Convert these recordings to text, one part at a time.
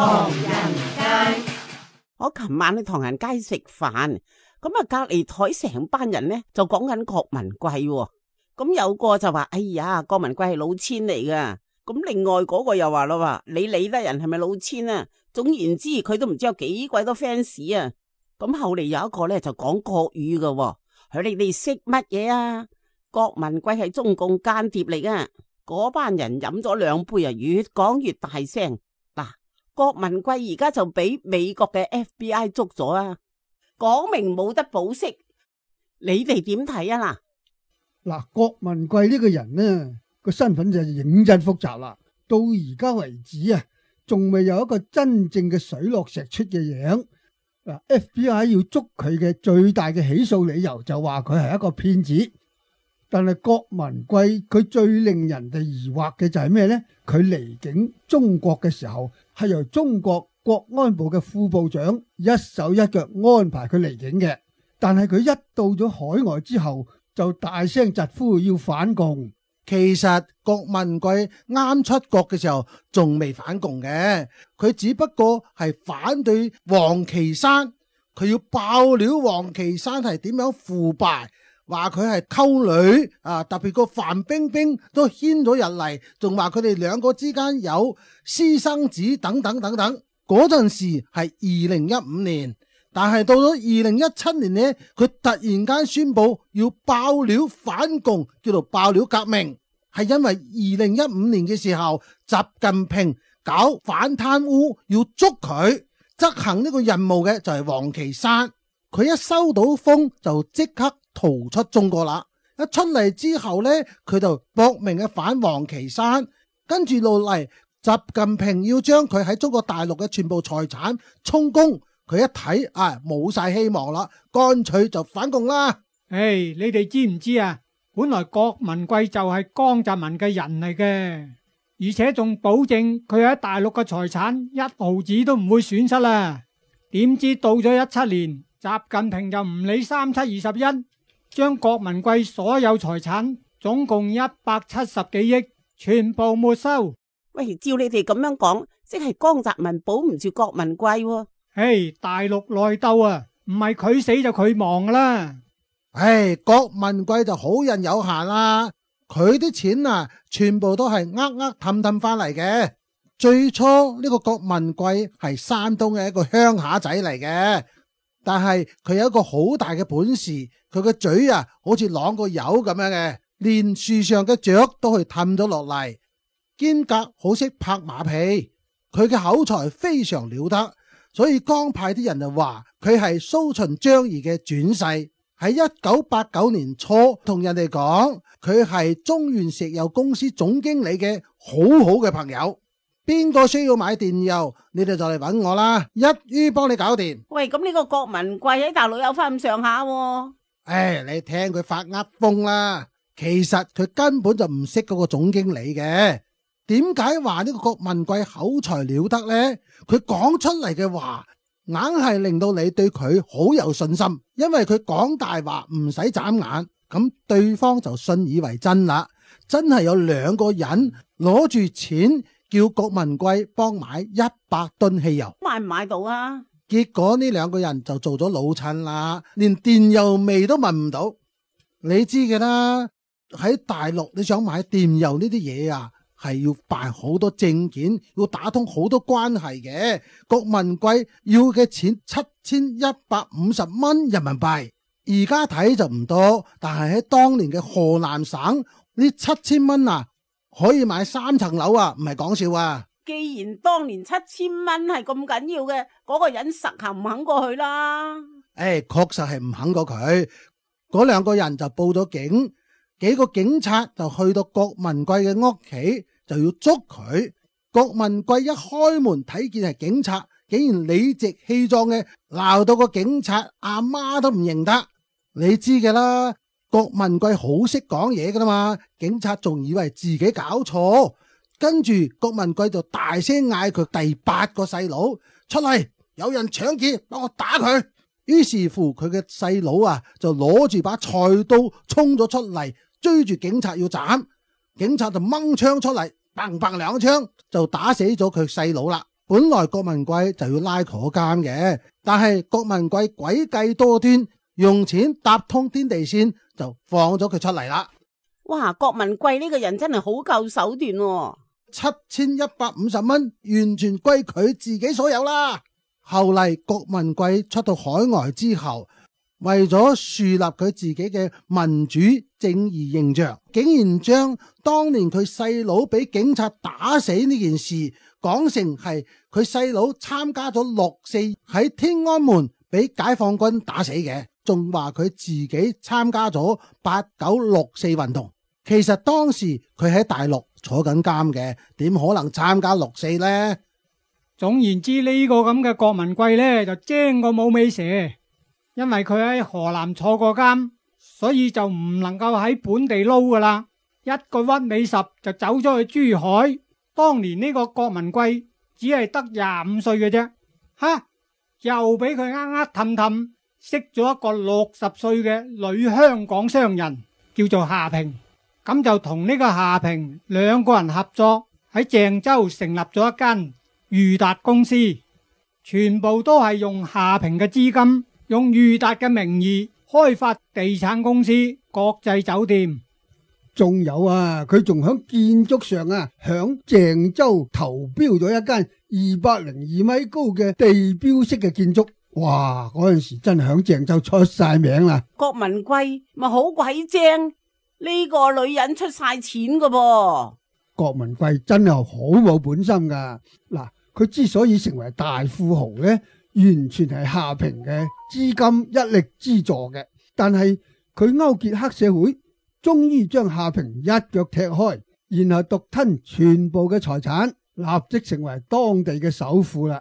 唐人街。我琴晚去唐人街食飯，咁啊隔籬台成班人呢就講緊郭文貴喎，咁有個就話：哎呀，郭文貴係老千嚟噶。咁另外嗰個又話咯，話你理得人係咪老千啊？總言之，佢都唔知有幾鬼多 fans 啊。咁後嚟有一個咧就講國語噶喎，佢你哋識乜嘢啊？郭文貴係中共間諜嚟噶。嗰班人飲咗兩杯啊，越講越大聲。嗱，郭文貴而家就俾美國嘅 FBI 捉咗啊，講明冇得保釋。你哋點睇啊？嗱，郭文貴呢個人呢個身份就認真複雜啦。到而家為止啊，仲未有一個真正嘅水落石出嘅樣。嗱，FBI 要捉佢嘅最大嘅起訴理由就話佢係一個騙子。但係郭文貴佢最令人哋疑惑嘅就係咩呢？佢離境中國嘅時候係由中國國安部嘅副部長一手一腳安排佢離境嘅，但係佢一到咗海外之後就大聲疾呼要反共。其實郭文貴啱出國嘅時候仲未反共嘅，佢只不過係反對王岐山，佢要爆料王岐山係點樣腐敗，話佢係溝女啊，特別個范冰冰都牽咗入嚟，仲話佢哋兩個之間有私生子等等等等。嗰陣時係2015年，但係到咗2017年呢，佢突然間宣布要爆料反共，叫做爆料革命，係因為2015年嘅時候，習近平搞反貪污要捉佢，執行呢個任務嘅就係王岐山，佢一收到風就即刻逃出中國啦。一出嚟之後呢，佢就搏命嘅反王岐山，跟住落嚟習近平要將佢喺中國大陸嘅全部財產充公，佢一睇冇晒希望啦，乾脆就反共啦。你哋知唔知啊？本來郭文貴就係江澤民嘅人嚟嘅，而且仲保證佢喺大陸嘅財產一毫子都唔會損失啦。點知到咗17年，習近平就唔理3721，將郭文貴所有財產總共170幾億全部沒收。喂，照你哋咁樣講，即係江澤民保唔住郭文貴喎。大陸內鬥啊，唔係佢死就佢亡噶啦。郭文貴就好人有限啦，佢啲錢啊，全部都係氹氹翻嚟嘅。最初呢個郭文貴係山東嘅一個鄉下仔嚟嘅，但係佢有一個好大嘅本事，佢個嘴啊好似啷個油咁樣嘅，連樹上嘅雀都去氹咗落嚟。兼夾好識拍馬屁，佢嘅口才非常了得，所以江派啲人就話佢係蘇秦張儀嘅轉世。喺1989年初同人哋講佢係中原石油公司總經理嘅好好嘅朋友，邊個需要買電油你哋就嚟搵我啦，一於幫你搞掂。喂，咁呢個郭文貴喺大陸有翻咁上下喎。你聽佢發風啦，其實佢根本就唔識嗰個總經理嘅。點解話呢個郭文貴口才了得呢？佢講出嚟嘅話硬係令到你對佢好有信心，因為佢講大話唔使眨眼，咁對方就信以為真啦。真係有兩個人攞住錢叫郭文貴幫買100噸汽油，買唔買到啊？結果呢兩個人就做咗老襯啦，連電油味都聞唔到。你知嘅啦，喺大陸你想買電油呢啲嘢啊，係要辦好多證件，要打通好多關係嘅。郭文貴要嘅錢7150蚊人民幣，而家睇就唔多，但係喺當年嘅河南省呢7000蚊啊，可以買3層樓啊，唔係講笑啊。既然當年7000蚊係咁緊要嘅，嗰個人實行唔肯過去啦。確實係唔肯過佢。嗰兩個人就報咗警，幾個警察就去到郭文貴嘅屋企，就要捉佢。郭文貴一開門睇見係警察，竟然理直氣壯嘅鬧到個警察阿媽都唔認得。你知嘅啦，郭文貴好識講嘢噶啦嘛，警察仲以為自己搞錯，跟住郭文貴就大聲嗌佢第8個細佬出嚟，有人搶劫，幫我打佢。於是乎佢嘅細佬啊就攞住把菜刀衝咗出嚟，追住警察要斬，警察就掹槍出嚟，砰砰2槍就打死咗佢細佬啦。本來郭文貴就要拉坐監嘅，但係郭文貴詭計多端，用錢搭通天地線，就放咗佢出嚟啦。哇，郭文貴呢個人真係好夠手段喎。 7150蚊完全歸佢自己所有啦。後嚟郭文貴出到海外之後，為咗樹立佢自己嘅民主正義形象，竟然將當年佢細佬俾警察打死呢件事講成係佢細佬參加咗6·4喺天安門俾解放軍打死嘅，仲話佢自己參加咗8964運動。其實當時佢喺大陸坐緊監嘅，點可能參加6·4呢？總言之，呢個咁嘅郭文貴呢，就精過冇尾蛇，因為佢喺河南坐過監，所以就唔能夠喺本地撈噶啦。一個屈尾十就走咗去珠海。當年呢個郭文貴只係得25歲嘅啫，又俾佢氹氹識咗一個60歲嘅女香港商人，叫做夏平。咁就同呢個夏平兩個人合作喺鄭州成立咗一間裕達公司，全部都係用夏平嘅資金，用裕達嘅名義開發地產公司、國際酒店。仲有啊，佢仲響建築上啊，響鄭州投標咗一間202米高嘅地標式嘅建築。哇！嗰陣時真係響鄭州出晒名啦。郭文貴咪好鬼精。呢個女人出晒錢噶噃。郭文貴真係好冇本心噶。嗱，佢之所以成為大富豪呢，完全係夏平嘅資金一力資助嘅。但係佢勾結黑社會，終於將夏平一腳踢開，然後獨吞全部嘅財產，立即成為當地嘅首富啦。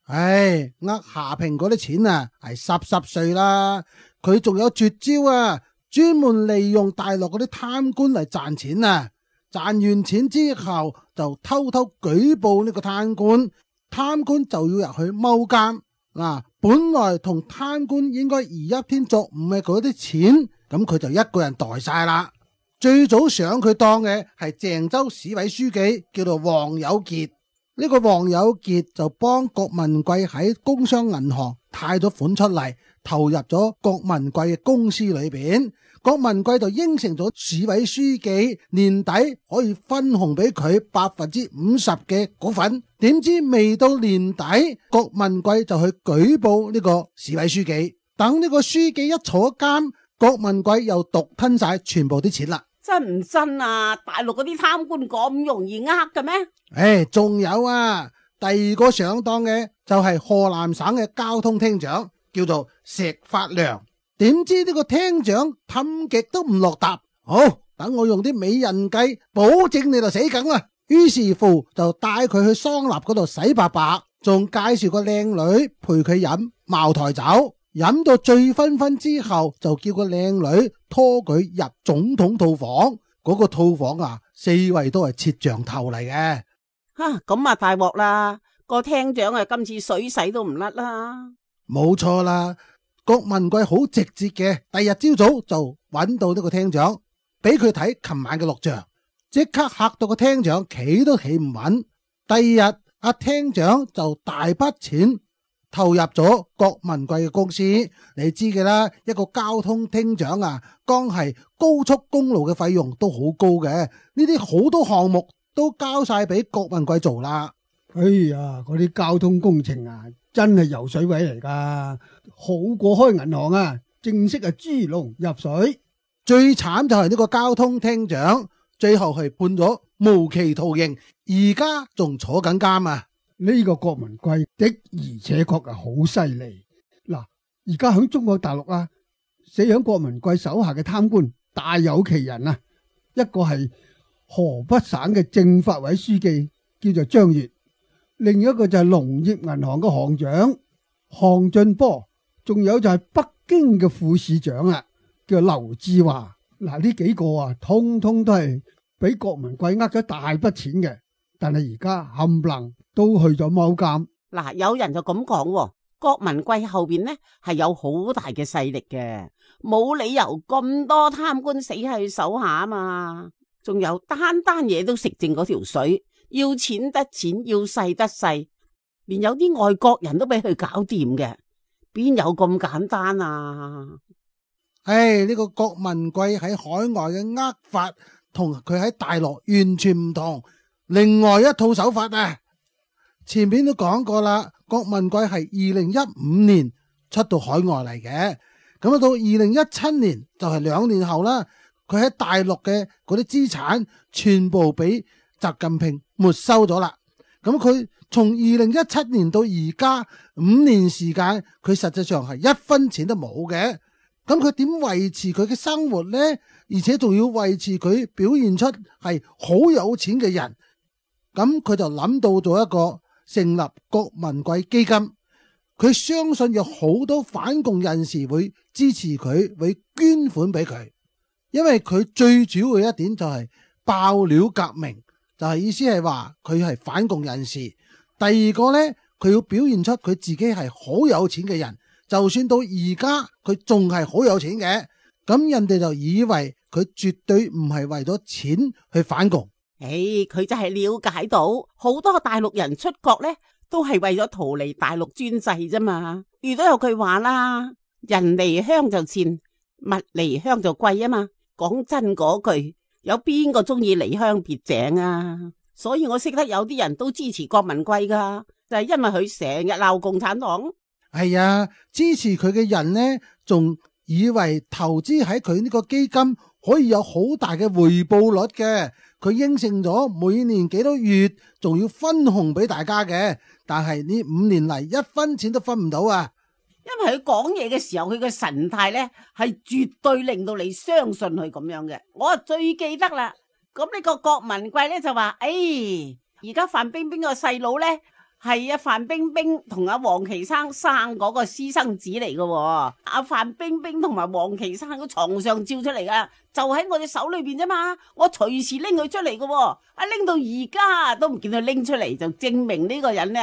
唉，夏平嗰啲錢啊，係濕碎啦。佢仲有絕招啊！專門利用大陸嗰啲貪官嚟賺錢啊！賺完錢之後就偷偷舉報呢個貪官，貪官就要入去踎監。本來同貪官應該而一天作五嘅嗰啲錢，咁佢就一個人袋晒啦。最早上佢當嘅係鄭州市委書記，叫做黃有傑。呢個黃有傑就幫郭文貴喺工商銀行貸咗款出嚟，投入咗郭文貴嘅公司裏邊。郭文貴就應承咗市委書記年底可以分紅俾佢50%嘅股份。點知未到年底，郭文貴就去舉報呢個市委書記。等呢個書記一坐監，郭文貴又獨吞晒全部啲錢啦。真唔真啊？大陸嗰啲貪官咁容易呃嘅誒，咩？仲有啊，第二個上當嘅就係河南省嘅交通廳長，叫做石發良。點知呢個廳長氹極都唔落答，好，等我用啲美人計，保證你就死梗啦。於是乎就帶佢去桑拿嗰度洗白白，仲介紹個靚女陪佢飲茅台酒，飲到醉醺醺之後，就叫個靚女拖佢入總統套房。嗰個套房啊，四圍都係攝像頭嚟嘅。咁啊大鑊啦！個廳長啊，今次水洗都唔甩啦。冇錯啦。郭文貴好直接嘅，第二日朝早就揾到呢個廳長，俾佢睇琴晚嘅錄像，即刻嚇到個廳長企都企唔穩。第二日阿廳長就大筆錢投入咗郭文貴嘅公司。你知嘅啦，一個交通廳長啊，光係高速公路嘅費用都好高嘅，呢啲好多項目都交晒俾郭文貴做啦。哎呀，嗰啲交通工程啊，真係油水位嚟噶，好過開銀行啊，正式係豬籠入水。最慘就係呢個交通廳長，最後係判咗無期徒刑，而家仲坐緊監啊！呢個郭文貴的而且確係好犀利。嗱，而家喺中國大陸啊，死喺郭文貴手下嘅貪官大有其人啊，一個係河北省嘅政法委書記，叫做張越。另一個就係農業銀行嘅行長項俊波，仲有就係北京嘅副市長啊，叫劉志華。嗱，呢幾個啊，通通都係俾郭文貴呃咗大筆錢嘅，但係而家冚唪唥都去咗踎監。嗱，有人就咁講，郭文貴後邊呢係有好大嘅勢力嘅，冇理由咁多貪官死喺佢手下啊嘛。仲有單嘢都食淨嗰條水。要錢得錢，要勢得勢，連有啲外國人都俾佢搞掂嘅，邊有咁簡單啊？呢個郭文貴喺海外嘅呃法同佢喺大陸完全唔同，另外一套手法啊！前面都講過啦，郭文貴係2015年出到海外嚟嘅，咁到2017年就係2年後啦，佢喺大陸嘅嗰啲資產全部俾習近平沒收咗啦。咁佢從2017年到而家5年時間，佢實際上係1分錢都冇嘅。咁佢點維持佢嘅生活呢？而且仲要維持佢表現出係好有錢嘅人。咁佢就諗到咗一個成立郭文貴基金。佢相信有好多反共人士會支持佢，會捐款俾佢。因為佢最主要嘅一點就係爆料革命，就係意思係話佢係反共人士。第二個呢，佢要表現出佢自己係好有錢嘅人。就算到而家佢仲係好有錢嘅，咁人哋就以為佢絕對唔係為咗錢去反共。佢就係了解到好多大陸人出國呢，都係為咗逃離大陸專制啫嘛。如都有句話啦，人離鄉就賤，物離鄉就貴啊嘛。講真嗰句，有邊個中意離鄉別井啊？所以我識得有啲人都支持郭文貴噶，就係因為佢成日鬧共產黨。係啊，支持佢嘅人呢，仲以為投資喺佢呢個基金可以有好大嘅回報率嘅。佢應承咗每年幾多月仲要分紅俾大家嘅，但係呢5年嚟1分錢都分唔到啊！因為佢講嘢嘅時候，佢嘅神態呢係絕對令到你相信佢咁樣嘅。我最記得啦，咁呢個郭文貴呢就話：而家范冰冰個細佬呢，係啊，范冰冰同阿王岐生生嗰個私生子嚟嘅。阿范冰冰同埋王岐生個床上照出嚟噶，就喺我隻手裏邊啫嘛。我隨時拎佢出嚟嘅，拎到而家都唔見佢拎出嚟，就證明呢個人呢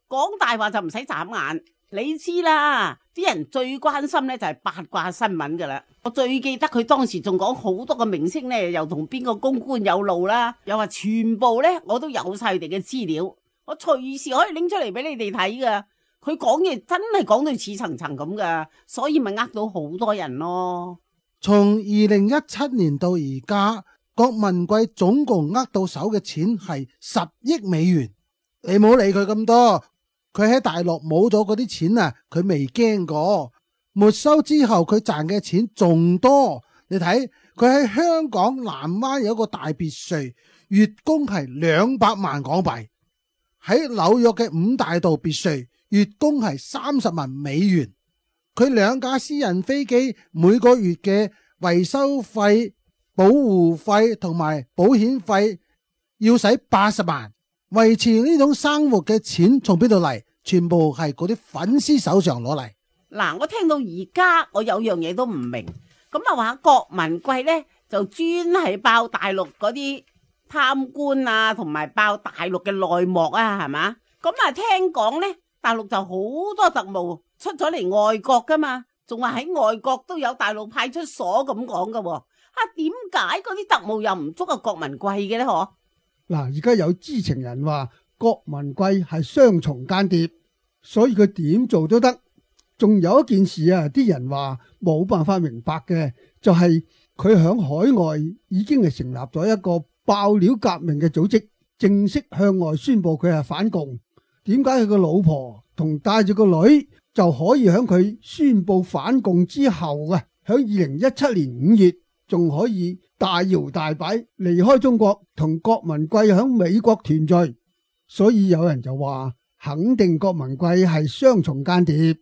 講大話就唔使眨眼。你知啦，啲人最關心呢就係八卦新聞噶啦。我最記得佢當時仲講好多個明星呢，又同邊個公關有路啦，又話全部呢我都有晒佢哋嘅資料。我隨時可以拎出嚟俾你哋睇噶，佢講嘢真係講到似層層咁噶，所以咪呃到好多人咯。從2017年到而家，郭文貴總共呃到手嘅錢係10億美元。你唔好理佢咁多，佢喺大陸冇咗嗰啲錢啊，佢未驚過。沒收之後佢賺嘅錢仲多。你睇佢喺香港南灣有一個大別墅，月供係200萬港幣。喺紐約嘅5大道別墅，月供係30萬美元。佢2架私人飛機每個月嘅維修費、保護費同埋保險費要使80萬。維持呢種生活嘅錢從邊度嚟？全部係嗰啲粉絲手上攞嚟。嗱，我聽到而家我有樣嘢都唔明，咁啊話郭文貴呢就專係爆大陸嗰啲貪官啊，同埋爆大陸嘅內幕啊，係嘛？咁啊，聽講呢，大陸就好多特務出咗嚟外國噶嘛，仲話喺外國都有大陸派出所咁講噶。點解嗰啲特務又唔捉阿郭文貴嘅呢？嗬？嗱，而家有知情人話郭文貴係雙重間諜，所以佢點做都得。仲有一件事啊，啲人話冇辦法明白嘅，就係佢響海外已經係成立咗一個爆料革命嘅組織，正式向外宣布佢係反共。點解佢個老婆同帶住個女就可以響佢宣布反共之後啊，響2017年5月仲可以大搖大擺離開中國，同郭文貴響美國團聚？所以有人就話肯定郭文貴係雙重間諜，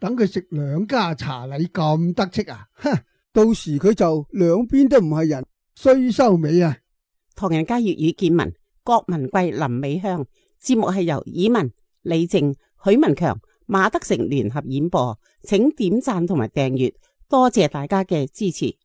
等佢食2家茶禮咁得戚啊！到時佢就兩邊都唔係人，衰收尾啊！唐人街粵語見聞，郭文貴臨尾香。節目係由以文、李靜、許文強、馬德成聯合演播，請點讚同埋訂閱，多謝大家嘅支持。